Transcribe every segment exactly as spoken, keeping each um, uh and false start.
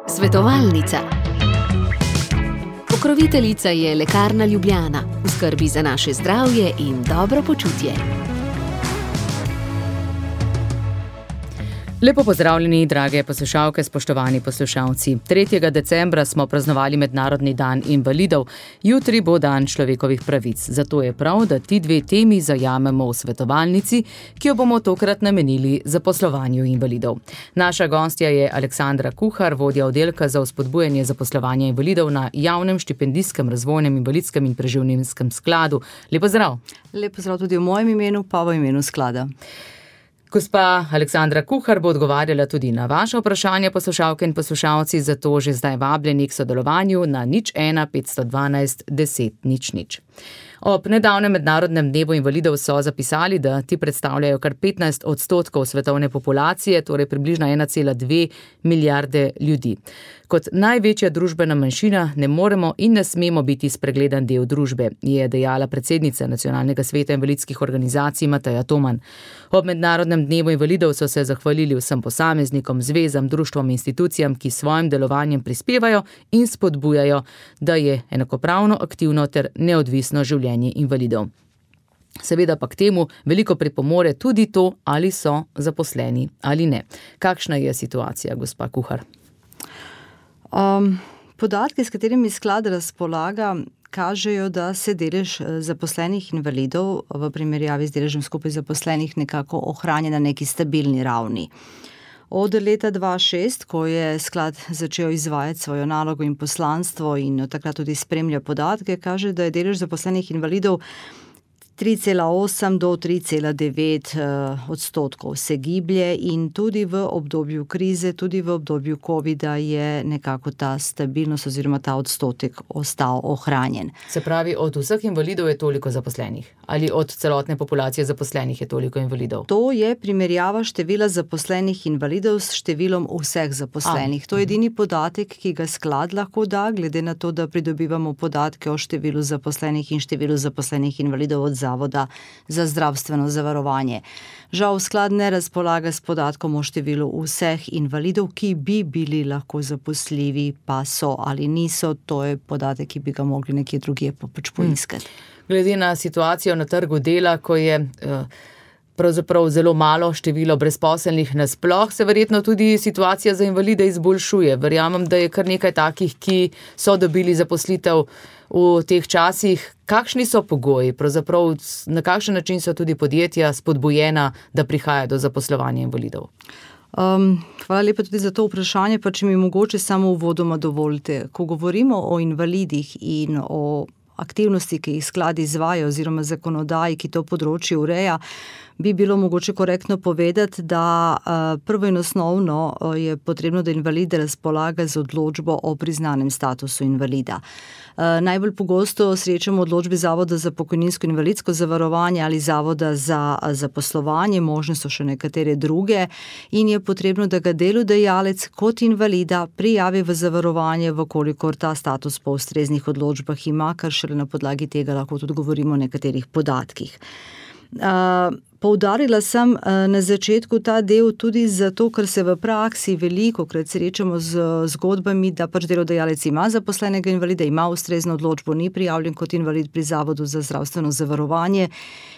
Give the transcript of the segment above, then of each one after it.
Svetovalnica. Pokroviteljica je Lekarna Ljubljana, v skrbi za naše zdravje in dobro počutje. Lepo pozdravljeni, drage poslušalke, spoštovani poslušalci. tretjega decembra smo praznovali Mednarodni dan invalidov, jutri bo dan človekovih pravic. Zato je prav, da ti dve temi zajamemo v svetovalnici, ki jo bomo tokrat namenili zaposlovanju invalidov. Naša gostja je Aleksandra Kuhar, vodja oddelka za vzpodbujanje zaposlovanja invalidov na Javnem štipendijskem razvojnem invalidskem in preživninskem skladu. Lepo zdrav. Lepo zdrav tudi v mojem imenu, pa v imenu sklada. Gospa Aleksandra Kuhar bo odgovarjala tudi na vaše vprašanje, poslušalke in poslušalci, zato že zdaj vabljeni k sodelovanju na nič ena petsto dvanajst deset nič nič. Ob nedavnem mednarodnem dnevu invalidov so zapisali, da ti predstavljajo kar petnajst odstotkov svetovne populacije, torej približno ena cela dve milijarde ljudi. Kot največja družbena manjšina ne moremo in ne smemo biti spregledan del družbe, je dejala predsednica Nacionalnega sveta invalidskih organizacij Mateja Toman. Ob mednarodnem dnevu invalidov so se zahvalili vsem posameznikom, zvezam, društvom in institucijam, ki svojim delovanjem prispevajo in spodbujajo, da je enakopravno, aktivno ter neodvisno življenje invalidov. Seveda pa k temu veliko pripomore tudi to, ali so zaposleni ali ne. Kakšna je situacija, gospa Kuhar? Um, podatki, s katerimi sklad razpolaga, kažejo, da se delež zaposlenih invalidov v primerjavi z deležem skupaj zaposlenih nekako ohranja na neki stabilni ravni. Od leta dva tisoč šest, ko je sklad začel izvajati svojo nalogo in poslanstvo in od takrat tudi spremlja podatke, kaže, da je delež zaposlenih invalidov tri cela osem do tri cela devet odstotkov se giblje in tudi v obdobju krize, tudi v obdobju covida je nekako ta stabilnost oziroma ta odstotek ostal ohranjen. Se pravi, od vseh invalidov je toliko zaposlenih? Ali od celotne populacije zaposlenih je toliko invalidov? To je primerjava števila zaposlenih invalidov s številom vseh zaposlenih. A. To je edini podatek, ki ga sklad lahko da, glede na to, da pridobivamo podatke o številu zaposlenih in številu zaposlenih invalidov od Zavoda za zdravstveno zavarovanje. Žal sklad ne razpolaga s podatkom o številu vseh invalidov, ki bi bili lahko zaposljivi, pa so ali niso. To je podatek, ki bi ga mogli nekje drugje pač poiskati. Glede na situacijo na trgu dela, ko je pravzaprav zelo malo število brezposelnih nasploh, se verjetno tudi situacija za invalide izboljšuje. Verjamem, da je kar nekaj takih, ki so dobili zaposlitev v teh časih. Kakšni so pogoji? Pravzaprav na kakšen način so tudi podjetja spodbujena, da prihaja do zaposlovanja invalidov? Um, hvala lepa tudi za to vprašanje, pa če mi mogoče samo uvodoma dovolite. Ko govorimo o invalidih in o aktivnosti, ki jih sklad izvaja oziroma zakonodaji, ki to področje ureja, bi bilo mogoče korektno povedati, da prvo in osnovno je potrebno, da invalid razpolaga z odločbo o priznanem statusu invalida. Najbolj pogosto srečamo odločbe Zavoda za pokojninsko in invalidsko zavarovanje ali Zavoda za zaposlovanje, možne so še nekatere druge in je potrebno, da ga delodajalec kot invalida prijavi v zavarovanje, vkolikor ta status po ustreznih odločbah ima, kar šele na podlagi tega lahko tudi govorimo o nekaterih podatkih. Uh, poudarila sem uh, na začetku ta del tudi zato, ker se v praksi veliko krat srečamo z zgodbami, da pač delodajalec ima zaposlenega invalida, ima ustrezno odločbo, ni prijavljen kot invalid pri Zavodu za zdravstveno zavarovanje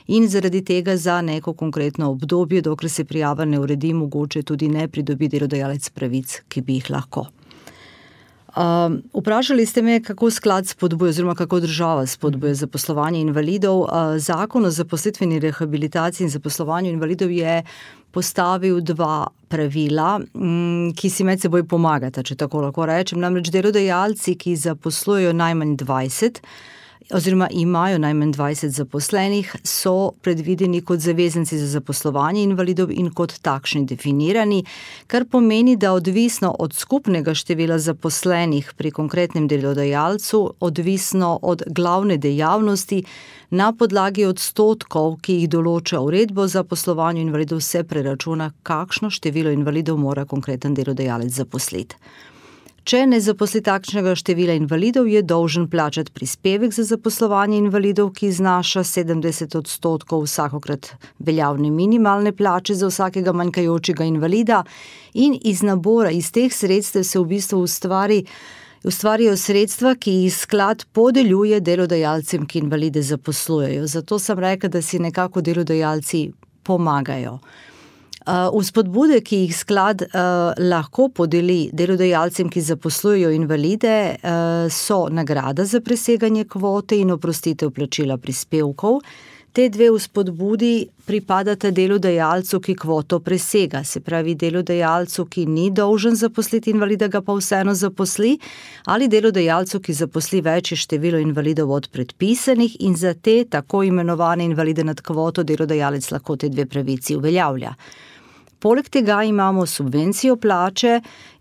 in zaradi tega za neko konkretno obdobje, dokler se prijava ne uredi, mogoče tudi ne pridobi delodajalec pravic, ki bi jih lahko. Uh, vprašali ste me, kako sklad spodbuja oziroma kako država spodbuja zaposlovanje invalidov. Uh, Zakon o zaposlitveni rehabilitaciji in zaposlovanju invalidov je postavil dva pravila, m, ki si med seboj pomagata, če tako lahko rečem. Namreč delodajalci, ki zaposlujejo najmanj dvajset oziroma imajo najmanj dvajset zaposlenih, so predvideni kot zavezanci za zaposlovanje invalidov in kot takšni definirani, kar pomeni, da odvisno od skupnega števila zaposlenih pri konkretnem delodajalcu, odvisno od glavne dejavnosti, na podlagi odstotkov, ki jih določa uredba o zaposlovanju invalidov, se preračuna, kakšno število invalidov mora konkreten delodajalec zaposliti. Če ne zaposli takšnega števila invalidov, je dolžen plačati prispevek za zaposlovanje invalidov, ki znaša sedemdeset odstotkov vsakokrat veljavne minimalne plače za vsakega manjkajočega invalida in iz nabora, iz teh sredstev se v bistvu ustvari Ustvarijo sredstva, ki jih sklad podeljuje delodajalcem, ki invalide zaposlujejo. Zato sem rekla, da si nekako delodajalci pomagajo. Vzpodbude, ki jih sklad uh, lahko podeli delodajalcem, ki zaposlujejo invalide, uh, so nagrada za preseganje kvote in oprostitev plačila prispevkov. Te dve vzpodbudi pripadata delodajalcu, ki kvoto presega, se pravi delodajalcu, ki ni dolžen zaposliti invalida, ga pa vseeno zaposli, ali delodajalcu, ki zaposli večje število invalidov od predpisanih in za te tako imenovane invalide nad kvoto delodajalec lahko te dve pravici uveljavlja. Poleg tega imamo subvencijo plače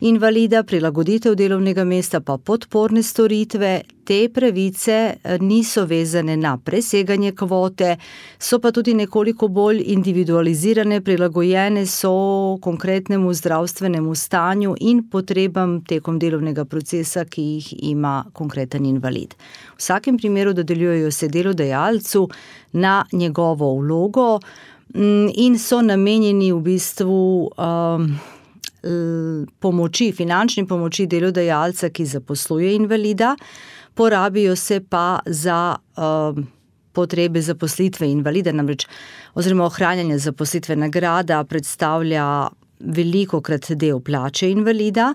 invalida, prilagoditev delovnega mesta pa podporne storitve. Te pravice niso vezane na preseganje kvote, so pa tudi nekoliko bolj individualizirane, prilagojene so konkretnemu zdravstvenemu stanju in potrebam tekom delovnega procesa, ki jih ima konkreten invalid. V vsakem primeru dodeljujejo se delodajalcu na njegovo vlogo in so namenjeni v bistvu um, pomoči, finančni pomoči delodajalca, ki zaposluje invalida, porabijo se pa za um, potrebe zaposlitve invalida, namreč oziroma ohranjanje zaposlitve. Nagrada predstavlja velikokrat del plače invalida.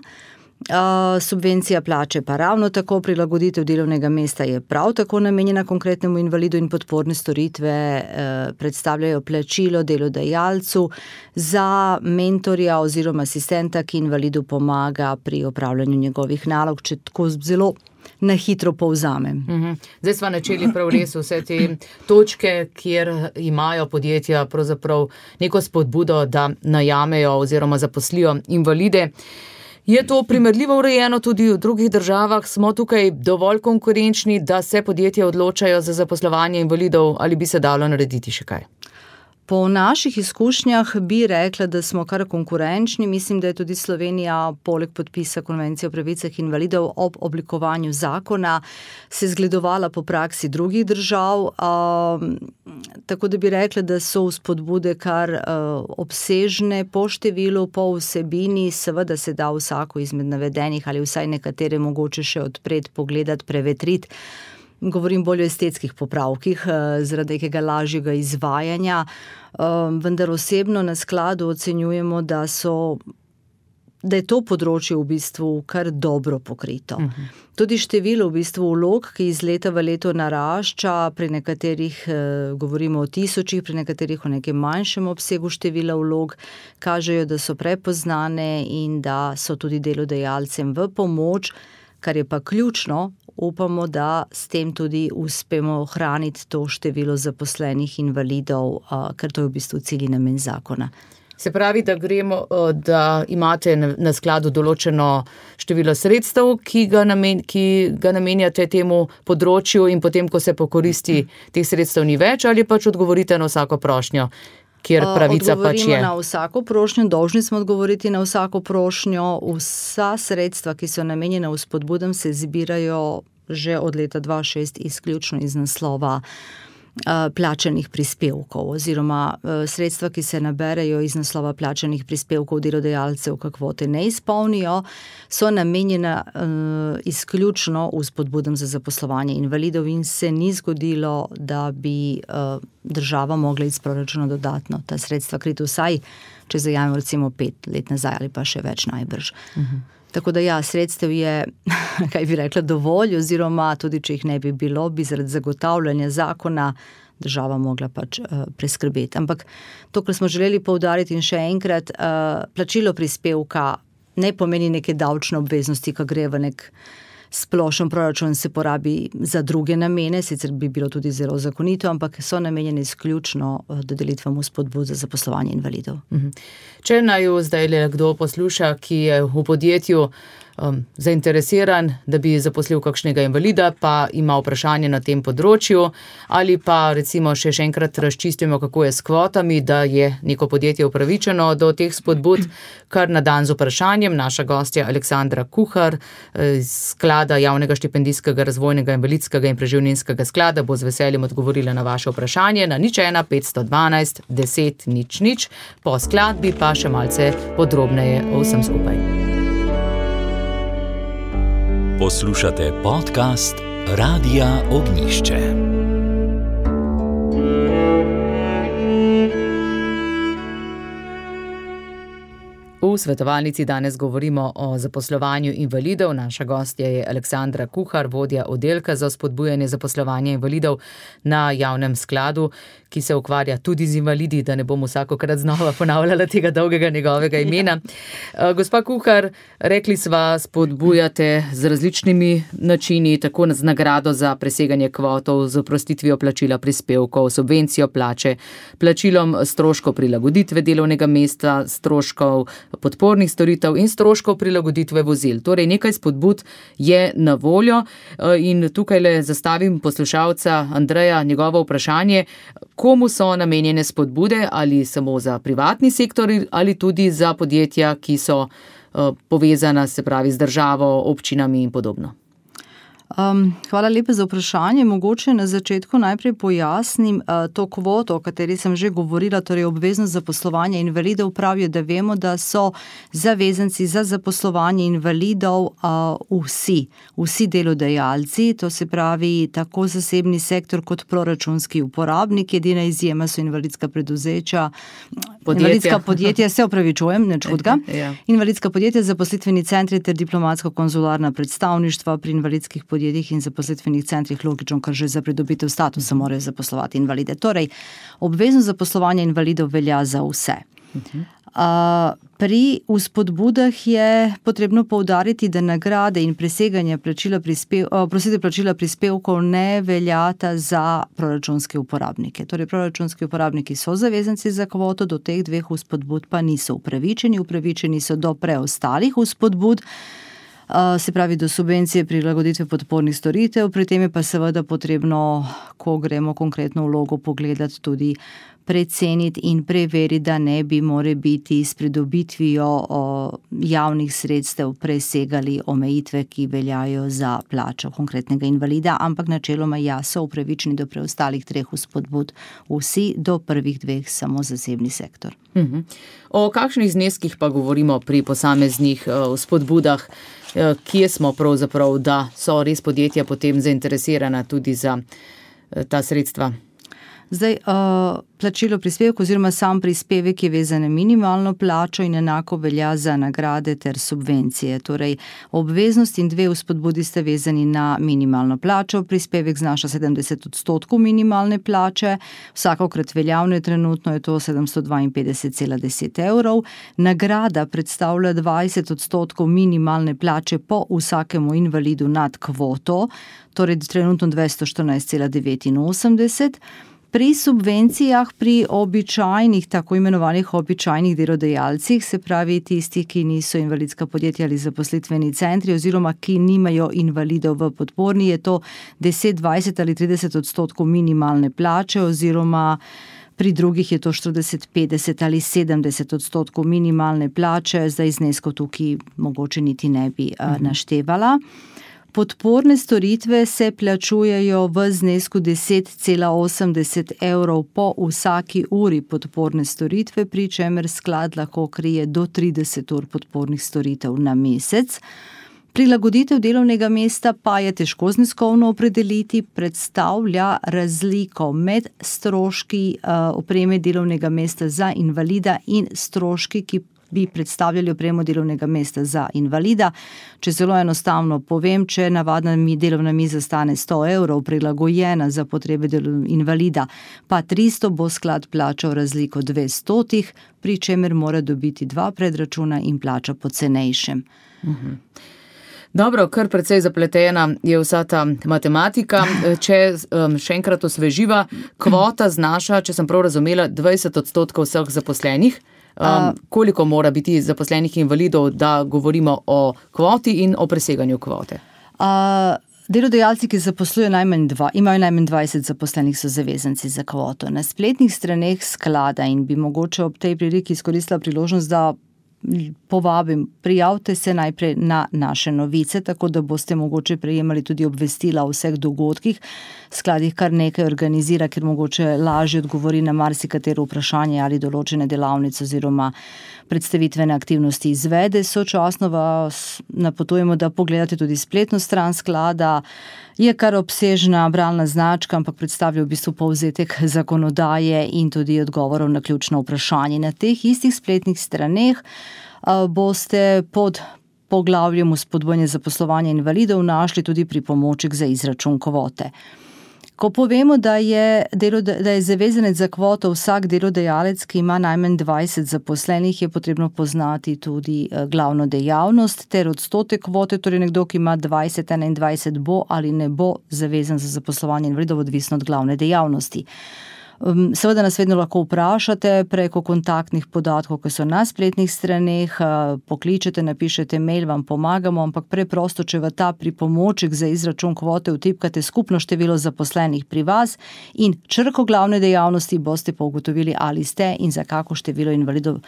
Uh, subvencija plače pa ravno tako, prilagoditev delovnega mesta je prav tako namenjena konkretnemu invalidu in podporne storitve uh, predstavljajo plačilo delodajalcu za mentorja oziroma asistenta, ki invalidu pomaga pri opravljanju njegovih nalog, če tako zelo na hitro povzamem. Uhum. Zdaj smo načeli prav res vse te točke, kjer imajo podjetja pravzaprav neko spodbudo, da najamejo oziroma zaposlijo invalide. Je to primerljivo urejeno tudi v drugih državah? Smo tukaj dovolj konkurenčni, da se podjetja odločajo za zaposlovanje invalidov, ali bi se dalo narediti še kaj? Po naših izkušnjah bi rekla, da smo kar konkurenčni. Mislim, da je tudi Slovenija poleg podpisa Konvencije o pravicah invalidov ob oblikovanju zakona se zgledovala po praksi drugih držav. Um, tako da bi rekla, da so vzpodbude kar uh, obsežne po številu, po vsebini. Seveda se da vsako izmed navedenih ali vsaj nekatere mogoče še odpreti, pogledati, prevetriti. Govorim bolj o estetskih popravkih, zaradi nekega lažjega izvajanja, vendar osebno na skladu ocenjujemo, da so, da je to področje v bistvu kar dobro pokrito. Uh-huh. Tudi število v bistvu vlog, ki iz leta v leto narašča, pri nekaterih govorimo o tisočih, pri nekaterih o nekem manjšem obsegu števila vlog, kažejo, da so prepoznane in da so tudi delodajalcem v pomoč, kar je pa ključno. Upamo, da s tem tudi uspemo ohraniti to število zaposlenih invalidov, ker to je v bistvu cilj in namen zakona. Se pravi, da gremo, da imate na skladu določeno število sredstev, ki ga, namen, ki ga namenjate temu področju in potem, ko se pokoristi, teh sredstev ni več, ali pač odgovorite na vsako prošnjo, kjer pravica pač je? Odgovorimo na vsako prošnjo, dolžni smo odgovoriti na vsako prošnjo. Vsa sredstva, ki so namenjena vzpodbudam, se zbirajo že od leta dva tisoč šest izključno iz naslova plačanih prispevkov oziroma sredstva, ki se naberejo iz naslova plačanih prispevkov delodajalcev, ki kvote ne izpolnijo, so namenjena uh, izključno vzpodbudam za zaposlovanje invalidov in se ni zgodilo, da bi uh, država mogla iz proračuna dodatno ta sredstva kriti, vsaj če zajamemo recimo pet let nazaj ali pa še več najbrž. Uh-huh. Tako da ja, sredstev je, kaj bi rekla, dovolj, oziroma tudi, če jih ne bi bilo, bi zaradi zagotavljanja zakona država mogla pač uh, preskrbeti. Ampak to, kar smo želeli poudariti in še enkrat, uh, plačilo prispevka ne pomeni neke davčne obveznosti, ki gre v nek splošen proračun, se porabi za druge namene, sicer bi bilo tudi zelo zakonito, ampak so namenjene izključno dodelitvam vzpodbud za zaposlovanje invalidov. Če naj zdaj le kdo posluša, ki je v podjetju um, zainteresiran, da bi zaposlil kakšnega invalida, pa ima vprašanje na tem področju, ali pa recimo še, še enkrat razčistimo, kako je s kvotami, da je neko podjetje upravičeno do teh spodbud, kar na dan z vprašanjem. Naša gostja Aleksandra Kuhar iz Sklada javnega štipendijskega, razvojnega, invalidskega in preživninskega sklada bo z veseljem odgovorila na vaše vprašanje na nič ena petsto dvanajst deset nič nič, po skladbi pa še malce podrobneje o vsem skupaj. Poslušate podcast Radia Ognjišče. V svetovalnici danes govorimo o zaposlovanju invalidov. Naša gostja je Aleksandra Kuhar, vodja oddelka za spodbujanje zaposlovanja invalidov na javnem skladu, ki se ukvarja tudi z invalidi, da ne bom vsakokrat znova ponavljala tega dolgega njegovega imena. Gospa Kuhar, rekli sva, spodbujate z različnimi načini, tako z nagrado za preseganje kvotov, z oprostitvijo plačila prispevkov, subvencijo plače, plačilom stroškov prilagoditve delovnega mesta, stroškov podpornih storitev in stroškov prilagoditve vozil. Torej, nekaj spodbud je na voljo in tukaj le zastavim poslušalca Andreja njegovo vprašanje, komu so namenjene spodbude, ali samo za privatni sektor ali tudi za podjetja, ki so povezana, se pravi, z državo, občinami in podobno. Um, hvala lepa za vprašanje. Mogoče na začetku najprej pojasnim uh, to kvoto, o kateri sem že govorila, torej obveznost zaposlovanja invalidov. Pravijo, da vemo, da so zavezanci za zaposlovanje invalidov uh, vsi, vsi delodajalci, to se pravi tako zasebni sektor kot proračunski uporabnik. Edina izjema so invalidska preduzeća, podjetja. Invalidska podjetja, se opravičujem, ne čudga. Ja. Invalidska podjetja, zaposlitveni centri ter diplomatsko-konzularna predstavništva pri invalidskih podjetjih in zaposlitvenih centrih, logično, ker že za pridobitev statusa morajo zaposlovati invalide. Torej, obveznost zaposlovanja invalidov velja za vse. Uh-huh. Uh, pri vzpodbudah je potrebno poudariti, da nagrade in preseganje plačila, prispev, uh, prosite, plačila prispevkov ne veljata za proračunske uporabnike. Torej, proračunski uporabniki so zavezanci za kvoto, do teh dveh vzpodbud pa niso upravičeni. Upravičeni so do preostalih vzpodbud, se pravi do subvencije prilagoditve podpornih storitev, pri tem je pa seveda potrebno, ko gremo konkretno vlogo pogledati, tudi preceniti in preveriti, da ne bi more biti s pridobitvijo javnih sredstev presegali omejitve, ki veljajo za plačo konkretnega invalida, ampak načeloma ja, so upravičeni do preostalih treh vzpodbud vsi, do prvih dveh samo zasebni sektor. Uh-huh. O kakšnih zneskih pa govorimo pri posameznih vzpodbudah? Kje smo pravzaprav, da so res podjetja potem zainteresirana tudi za ta sredstva? Zdaj, uh, plačilo prispevka oziroma sam prispevek je vezan na minimalno plačo in enako velja za nagrade ter subvencije. Torej, obveznost in dve vzpodbudi sta vezani na minimalno plačo. Prispevek znaša sedemdeset odstotkov minimalne plače, vsakokrat veljavno je trenutno je to sedemsto dvainpetdeset cela deset evrov. Nagrada predstavlja dvajset odstotkov minimalne plače po vsakemu invalidu nad kvoto, torej trenutno dvesto štirinajst cela devetinosemdeset. Pri subvencijah, pri običajnih, tako imenovanih običajnih delodajalcih, se pravi tistih, ki niso invalidska podjetja ali zaposlitveni centri oziroma ki nimajo invalidov v podporni, je to deset, dvajset ali trideset odstotkov minimalne plače oziroma pri drugih je to štirideset, petdeset ali sedemdeset odstotkov minimalne plače, zdaj zneskov tukaj mogoče niti ne bi uh, naštevala. Podporne storitve se plačujejo v znesku deset cela osemdeset evrov po vsaki uri podporne storitve, pri čemer sklad lahko krije do trideset ur podpornih storitev na mesec. Prilagoditev delovnega mesta pa je težko zneskovno opredeliti, predstavlja razliko med stroški uh, opreme delovnega mesta za invalida in stroški, ki bi predstavljali opremo delovnega mesta za invalida. Če zelo enostavno povem, če navadna mi delovna miza stane sto evrov, prilagojena za potrebe invalida, pa tristo, bo sklad plačal razliko dvestotih, pri čemer mora dobiti dva predračuna in plača po cenejšem. Mhm. Dobro, kar precej zapletena je vsa ta matematika. Če um, še enkrat osveživa, kvota znaša, če sem prav razumela, dvajset odstotkov vseh zaposlenih. Um, koliko mora biti zaposlenih invalidov, da govorimo o kvoti in o preseganju kvote? Uh, delodajalci, ki zaposlujejo najmanj dva, imajo najmanj dvajset zaposlenih, so zavezanci za kvoto. Na spletnih straneh sklada, in bi mogoče ob tej priliki izkoristila priložnost, da povabim, prijavite se najprej na naše novice, tako da boste mogoče prejemali tudi obvestila o vseh dogodkih. Sklad jih kar nekaj organizira, ker mogoče lažje odgovori na marsikatero vprašanje ali določene delavnice oziroma predstavitvene aktivnosti izvede. Sočasno vas napotujemo, da pogledate tudi spletno stran sklada. Je kar obsežna bralna značka, ampak predstavlja v bistvu povzetek zakonodaje in tudi odgovorov na ključno vprašanje. Na teh istih spletnih straneh boste pod poglavjem vzpodbujanje zaposlovanja invalidov našli tudi pripomoček za izračun kvote. Ko povemo, da je, da je zavezanec za kvoto vsak delodajalec, ki ima najmanj dvajset zaposlenih, je potrebno poznati tudi glavno dejavnost ter odstotek kvote, torej nekdo, ki ima dvajset, enaindvajset, bo ali ne bo zavezan za zaposlovanje invalidov, odvisno od glavne dejavnosti. Seveda nas vedno lahko vprašate preko kontaktnih podatkov, ki so na spletnih straneh, pokličete, napišete mail, vam pomagamo, ampak preprosto, če v ta pripomoček za izračun kvote vtipkate skupno število zaposlenih pri vas in črko glavne dejavnosti, boste pa ugotovili, ali ste in za kako število invalidov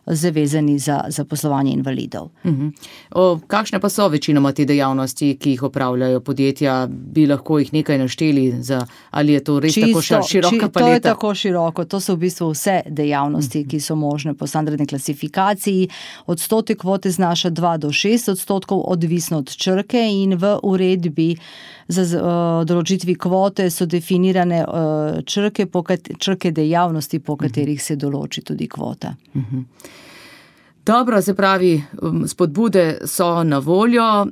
zavezani za zaposlovanje invalidov. Uh-huh. O, kakšne pa so večinoma te dejavnosti, ki jih opravljajo podjetja? Bi lahko jih nekaj našteli, za, ali je to res Čisto, tako široka paleta? To je tako široko, to so v bistvu vse dejavnosti, ki so možne po standardni klasifikaciji. Odstotek kvote znaša dva do šest odstotkov, odvisno od črke, in v uredbi za uh, določitvi kvote so definirane uh, črke, po kat- črke dejavnosti, po katerih se določi tudi kvota. Uh-huh. Dobro, se pravi, spodbude so na voljo,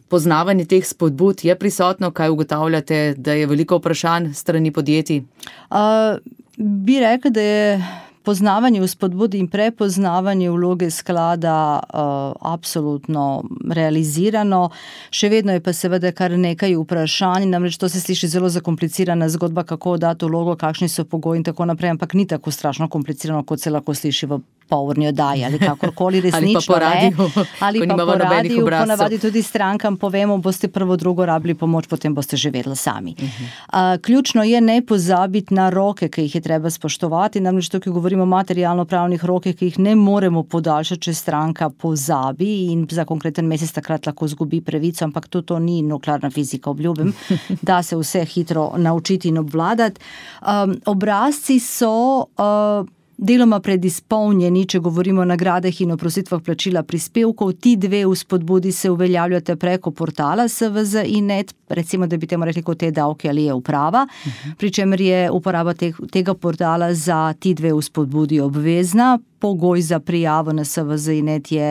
poznavanje teh spodbud je prisotno, kaj ugotavljate, da je veliko vprašanj strani podjetij? Uh, bi rekla, da je poznavanje vzpodbud in prepoznavanje vloge sklada uh, absolutno realizirano. Še vedno je pa seveda kar nekaj vprašanj, namreč to se sliši zelo zakomplicirana zgodba, kako dati vlogo, kakšni so pogoji in tako naprej, ampak ni tako strašno komplicirano, kot se lahko sliši v polurni oddaji ali kakorkoli resnično. Ali pa po radiju, ali ko pa nimamo nobenih obrazcev. Ponavadi tudi strankam povemo, boste prvo, drugo rabili pomoč, potem boste že vedeli sami. Uh-huh. Uh, ključno je ne pozabiti na roke, ki jih je treba spoštovati, namreč tukaj govorimo o materialno-pravnih rokih, ki jih ne moremo podaljšati, če stranka pozabi in za konkreten mesec takrat lahko zgubi pravico, ampak to, to ni nuklearna fizika, obljubim, da se vse hitro naučiti in obvladati. Um, obrazci so uh, deloma predizpolnjeni, če govorimo o nagradah in o prositvah plačila prispevkov. Ti dve vzpodbudi se uveljavljate preko portala S V Z in net, recimo, da bi temu rekli kot te davke ali je uprava, uh-huh. pri čemer je uporaba te, tega portala za ti dve vzpodbudi obvezna. Pogoj za prijavo na S V Z in net je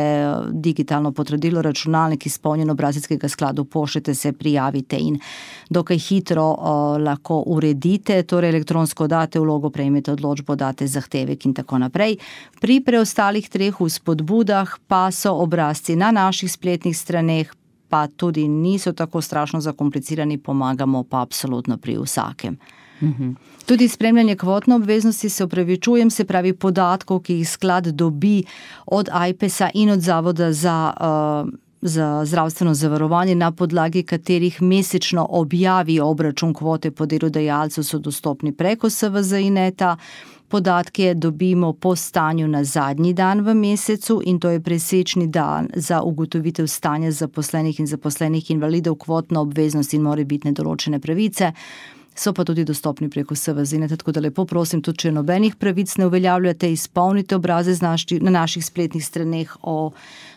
digitalno potrdilo, računalnik, izpolnjen obrazec, ki ga skladu pošljete, se prijavite in dokaj hitro uh, lahko uredite, torej elektronsko date vlogo, prejmete odločbo, date zahtevek in tako naprej. Pri preostalih treh vzpodbudah pa so obrazci na naših spletnih straneh, pa tudi niso tako strašno zakomplicirani, pomagamo pa absolutno pri vsakem. Uhum. Tudi spremljanje kvotne obveznosti, se opravičujem, se pravi podatkov, ki jih sklad dobi od Ajpesa in od Zavoda za, uh, za zdravstveno zavarovanje, na podlagi katerih mesečno objavi obračun kvote po delodajalcu, so dostopni preko S V Z in neta. Podatke dobimo po stanju na zadnji dan v mesecu in to je presečni dan za ugotovitev stanja zaposlenih in zaposlenih invalidov, kvotno obveznost in morebitne določene pravice. So pa tudi dostopni preko S V Z in neta, tako da lepo prosim, tudi če nobenih pravic ne uveljavljate, izpolnite obraze na naših spletnih straneh o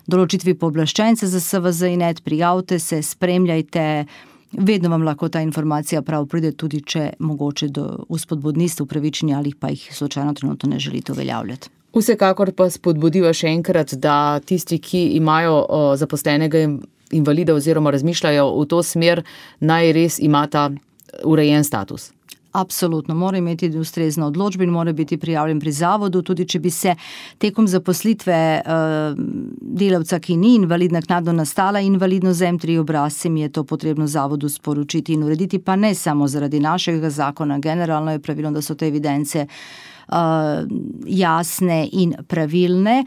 določitvi pooblaščenca za S V Z in net, prijavite se, spremljajte. Vedno vam lahko ta informacija prav pride, tudi če mogoče do vzpodbud niste upravičeni ali pa jih slučajno trenutno ne želite uveljavljati. Vsekakor pa spodbudiva še enkrat, da tisti, ki imajo o, zaposlenega invalida oziroma razmišljajo v to smer, naj res imata urejen status. Absolutno, mora imeti ustrezno odločbo in mora biti prijavljen pri zavodu, tudi če bi se tekom zaposlitve uh, delavca, ki ni invalid, naknadno nastala invalidnost z em tri obrazcem, je to potrebno zavodu sporočiti in urediti, pa ne samo zaradi našega zakona. Generalno je pravilno, da so te evidence jasne in pravilne.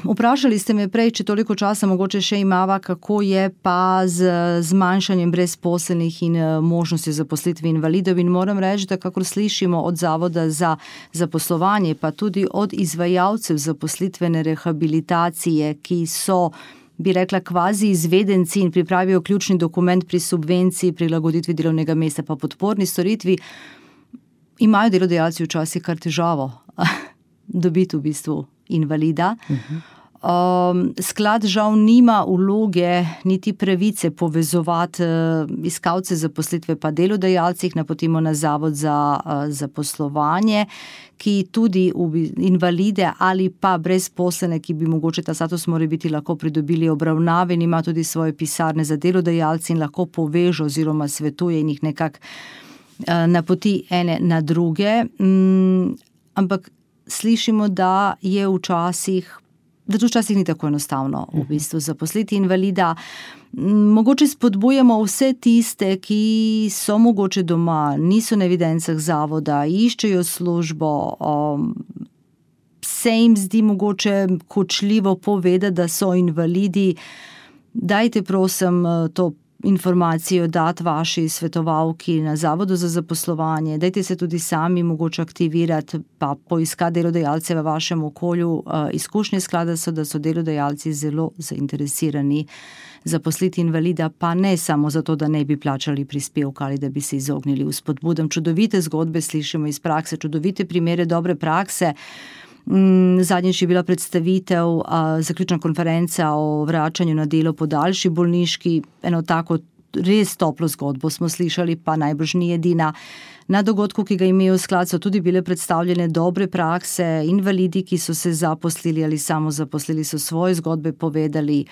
Vprašali ste me prej, če toliko časa mogoče še imava, kako je pa z zmanjšanjem brezposelnih in možnosti zaposlitve invalidov, in moram reči, da kakor slišimo od Zavoda za zaposlovanje, pa tudi od izvajalcev zaposlitvene rehabilitacije, ki so, bi rekla, kvazi izvedenci in pripravijo ključni dokument pri subvenciji, prilagoditvi delovnega mesta pa podporni storitvi, imajo delodajalci včasih kar težavo dobiti v bistvu invalida. Uh-huh. Um, sklad žal nima vloge niti pravice povezovati uh, iskalce zaposlitve pa delodajalcih, napotimo na Zavod za uh, zaposlovanje, ki tudi v invalide ali pa brezposlene, ki bi mogoče ta status more biti lahko pridobili obravnave, in ima tudi svoje pisarne za delodajalci in lahko poveže oziroma svetuje in jih nekako uh, napoti ene na druge. Um, ampak slišimo, da je včasih da to včasih ni tako enostavno v bistvu zaposliti invalida. Mogoče spodbujamo vse tiste, ki so mogoče doma, niso na evidencah zavoda, iščejo službo, um, se jim zdi mogoče kočljivo povedati, da so invalidi. Dajte prosim to informacijo dati vaši svetovalki na Zavodu za zaposlovanje, dajte se tudi sami mogoče aktivirati, pa poiskati delodajalce v vašem okolju. Izkušnje sklada so, da so delodajalci zelo zainteresirani zaposliti invalida, pa ne samo zato, da ne bi plačali prispevka ali da bi se izognili vzpodbudam. Čudovite zgodbe slišimo iz prakse, čudovite primere dobre prakse. Zadnjič je bila predstavitev, zaključna konferenca o vračanju na delo po daljši bolniški. Eno tako res toplo zgodbo smo slišali, pa najbrž ni edina. Na dogodku, ki ga imajo sklad, so tudi bile predstavljene dobre prakse, invalidi, ki so se zaposlili ali samo zaposlili, so svoje zgodbe povedali.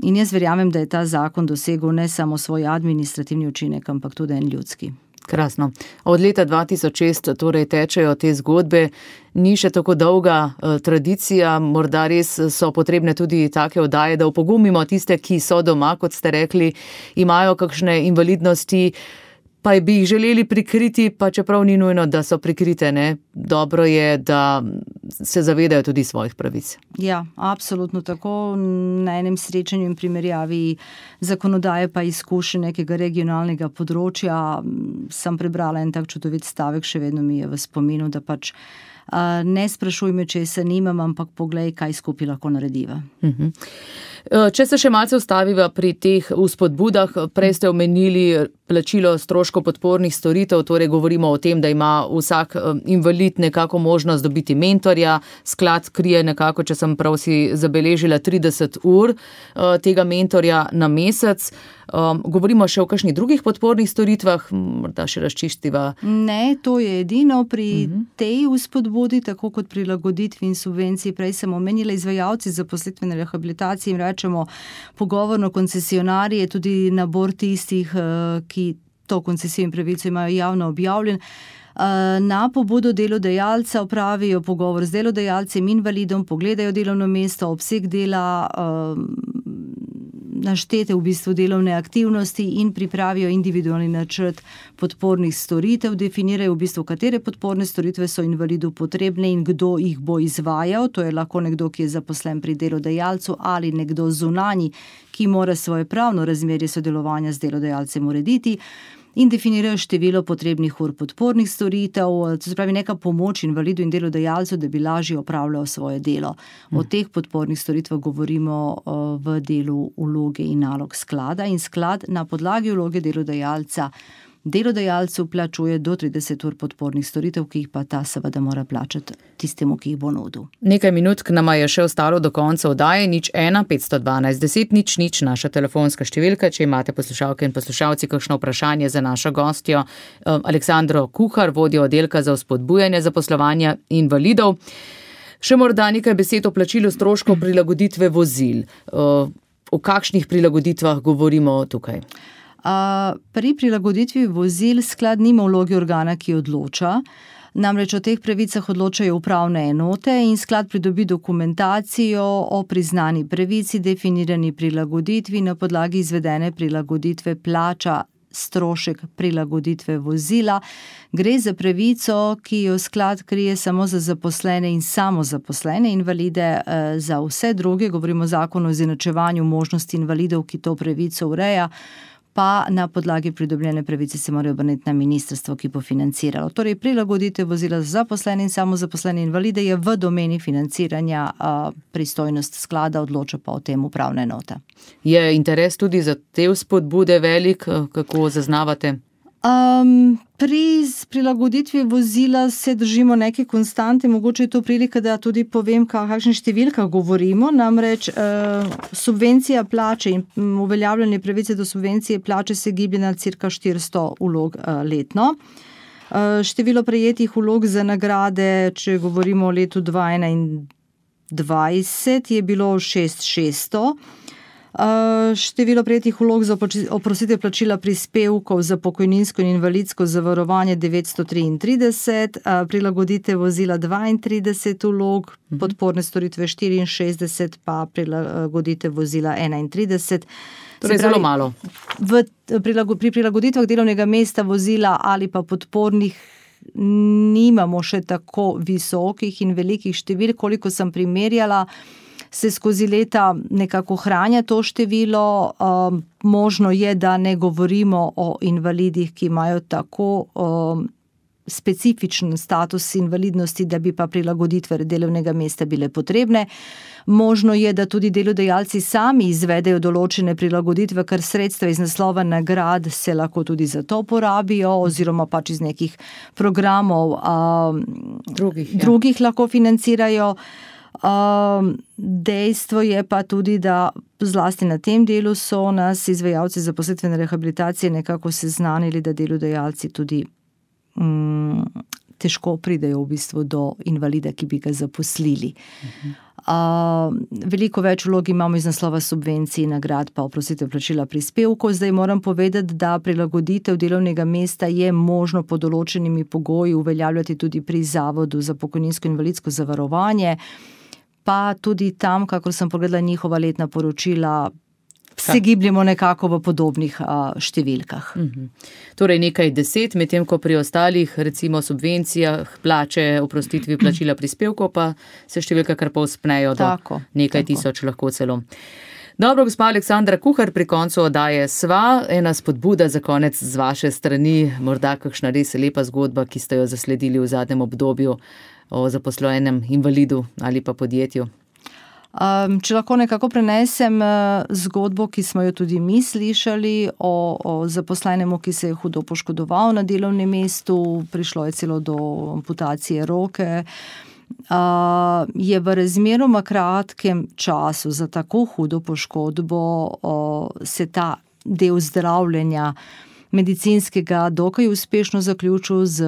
In jaz verjamem, da je ta zakon dosegel ne samo svoj administrativni učinek, ampak tudi en ljudski. Krasno. Od leta dva tisoč šest torej tečejo te zgodbe, ni še tako dolga eh, tradicija, morda res so potrebne tudi take oddaje, da opogumimo tiste, ki so doma, kot ste rekli, imajo kakšne invalidnosti, pa bi jih želeli prikriti, pa čeprav ni nujno, da so prikrite, ne? Dobro je, da se zavedajo tudi svojih pravic. Ja, absolutno tako. Na enem srečanju in primerjavi zakonodaje pa izkušenj nekega regionalnega področja sem prebrala en tak čudovit stavek, še vedno mi je v spominu, da pač uh, ne sprašuj me, če se nimam, ampak poglej, kaj skupaj lahko narediva. Uh-huh. Če se še malce ustaviva pri teh vzpodbudah, prej ste omenili plačilo stroškov podpornih storitev, torej govorimo o tem, da ima vsak invalid nekako možnost dobiti mentorja, sklad krije nekako, če sem prav si zabeležila, trideset ur tega mentorja na mesec. Govorimo še o kakšnih drugih podpornih storitvah, morda še razčistiva? Ne, to je edino pri uh-huh. tej vzpodbudi, tako kot prilagoditvi in subvenciji. Prej sem omenila izvajalci zaposlitvene rehabilitacije, jim rečemo pogovorno koncesionarje, tudi nabor tistih, ki to koncesijo in pravico imajo javno objavljen. Na pobudo delodajalca opravijo pogovor z delodajalcem invalidom, pogledajo delovno mesto, obseg dela, naštete v bistvu delovne aktivnosti in pripravijo individualni načrt podpornih storitev, definirajo v bistvu, katere podporne storitve so invalidu potrebne in kdo jih bo izvajal. To je lahko nekdo, ki je zaposlen pri delodajalcu ali nekdo zunanji, ki mora svoje pravno razmerje sodelovanja z delodajalcem urediti. In definirajo število potrebnih ur podpornih storitev, to se pravi neka pomoč invalidu in delodajalcu, da bi lažje opravljal svoje delo. O teh podpornih storitvah govorimo v delu vloge in nalog sklada in sklad na podlagi vloge delodajalca delodajalcu plačuje do trideset ur podpornih storitev, ki jih pa ta seveda mora plačati tistemu, ki jih bo nudil. Nekaj minut k nama je še ostalo do konca oddaje, nič ena, petsto dvanajst, deset, nič, nič, naša telefonska številka, če imate poslušalke in poslušalci kakšno vprašanje za našo gostjo, Aleksandro Kuhar, vodjo oddelka za vzpodbujanje zaposlovanja invalidov. Še morda nekaj besed o plačilu stroškov prilagoditve vozil. O kakšnih prilagoditvah govorimo tukaj? Pri prilagoditvi vozil sklad nima vloge organa, ki odloča. Namreč o teh pravicah odločajo upravne enote in sklad pridobi dokumentacijo o priznani pravici, definirani prilagoditvi, na podlagi izvedene prilagoditve plača strošek prilagoditve vozila. Gre za pravico, ki jo sklad krije samo za zaposlene in samozaposlene invalide, za vse druge, govorimo o zakonu o izenačevanju možnosti invalidov, ki to pravico ureja, pa na podlagi pridobljene pravice se morajo obrniti na ministrstvo, ki bo financiralo. Torej, prilagoditev vozila za zaposlene in samozaposlene invalide je v domeni financiranja, pristojnost sklada, odloča pa o tem upravna enota. Je interes tudi za te vzpodbude velik, kako zaznavate? Um, pri prilagoditvi vozila se držimo neke konstante, mogoče je to prilika, da tudi povem, kakšne številkah govorimo, namreč uh, subvencija plače in uveljavljanje pravice do subvencije plače se giblje na cirka štiristo vlog uh, letno. Uh, število prejetih vlog za nagrade, če govorimo o letu dva tisoč enaindvajset, je bilo šest tisoč šeststo. Uh, število prejetih vlog za oprostitev plačila prispevkov za pokojninsko in invalidsko zavarovanje devetsto triintrideset, uh, prilagoditev vozila dvaintrideset vlog, uh-huh. podporne storitve štiriinšestdeset, pa prilagoditev vozila enaintrideset. Torej zelo malo. V, pri prilagoditvah delovnega mesta vozila ali pa podpornih nimamo še tako visokih in velikih števil, koliko sem primerjala, se skozi leta nekako hranja to število. Um, možno je, da ne govorimo o invalidih, ki imajo tako um, specifičen status invalidnosti, da bi pa prilagoditve delovnega mesta bile potrebne. Možno je, da tudi delodajalci sami izvedejo določene prilagoditve, ker sredstva iz naslova nagrad se lahko tudi za to porabijo, oziroma pač iz nekih programov um, drugih, ja. drugih lahko financirajo. Um, dejstvo je pa tudi, da zlasti na tem delu so nas izvajalci zaposlitvene rehabilitacije nekako seznanili, da delodajalci tudi um, težko pridejo v bistvu do invalida, ki bi ga zaposlili. Uh-huh. Uh, veliko več vlog imamo iz naslova subvencij, nagrad pa oprostitev plačila prispevkov. Zdaj moram povedati, da prilagoditev delovnega mesta je možno pod določenimi pogoji uveljavljati tudi pri Zavodu za pokojninsko in invalidsko zavarovanje, pa tudi tam, kakor sem pogledala njihova letna poročila, se gibljemo nekako v podobnih a, številkah. Mhm. Torej nekaj deset, medtem ko pri ostalih, recimo subvencijah, plače, oprostitvi plačila prispevkov, pa se številka kar povzpnejo do tako, nekaj tako. tisoč lahko celo. Dobro, gospa Aleksandra Kuhar, pri koncu oddaje sva, ena spodbuda za konec z vaše strani, morda kakšna res lepa zgodba, ki ste jo zasledili v zadnjem obdobju o zaposlenem invalidu ali pa podjetju. Um, če lahko nekako prenesem uh, zgodbo, ki smo jo tudi mi slišali o, o zaposlenemu, ki se je hudo poškodoval na delovnem mestu, prišlo je celo do amputacije roke. Uh, je v razmeroma kratkem času za tako hudo poškodbo uh, se ta del zdravljenja medicinskega dokaj uspešno zaključil z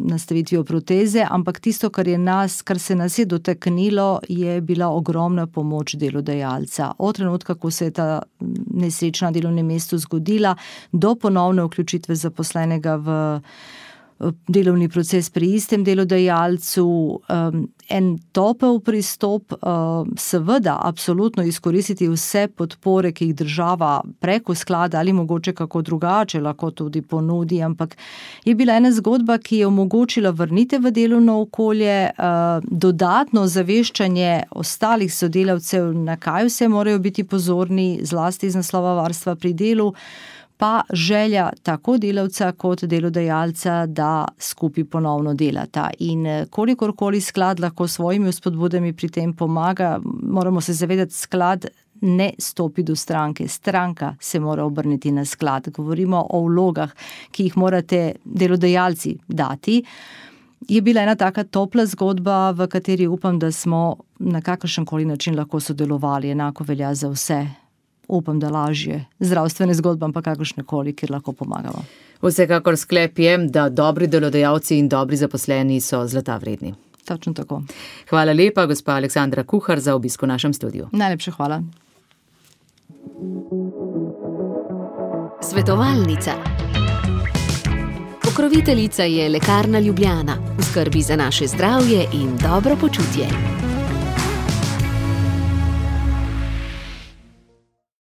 nastavitvijo proteze, ampak tisto, kar je nas, kar se nas je dotaknilo, je bila ogromna pomoč delodajalca. Od trenutka, ko se je ta nesreča na delovnem mestu zgodila, do ponovne vključitve zaposlenega v delovni proces pri istem delodajalcu, um, en topel pristop, um, seveda absolutno izkoristiti vse podpore, ki jih država preko sklada ali mogoče kako drugače lahko tudi ponudi, ampak je bila ena zgodba, ki je omogočila vrnitev v delovno okolje, uh, dodatno zaveščanje ostalih sodelavcev, na kaj vse morajo biti pozorni, zlasti iz naslova varstva pri delu, pa želja tako delavca kot delodajalca, da skupaj ponovno delata. In kolikorkoli sklad lahko svojimi vzpodbudami pri tem pomaga, moramo se zavedati, sklad ne stopi do stranke. Stranka se mora obrniti na sklad. Govorimo o vlogah, ki jih morate delodajalci dati. Je bila ena taka topla zgodba, v kateri upam, da smo na kakršenkoli način lahko sodelovali. Enako velja za vse. Upam, da lažje zdravstvene zgodbe, pa kakršnekoli, kjer lahko pomagamo. Vsekakor sklep je, da dobri delodajalci in dobri zaposleni so zlata vredni. Točno tako. Hvala lepa, gospa Aleksandra Kuhar, za obisk v našem studiu. Najlepša hvala. Svetovalnica. Pokroviteljica je Lekarna Ljubljana. V skrbi za naše zdravje in dobro počutje.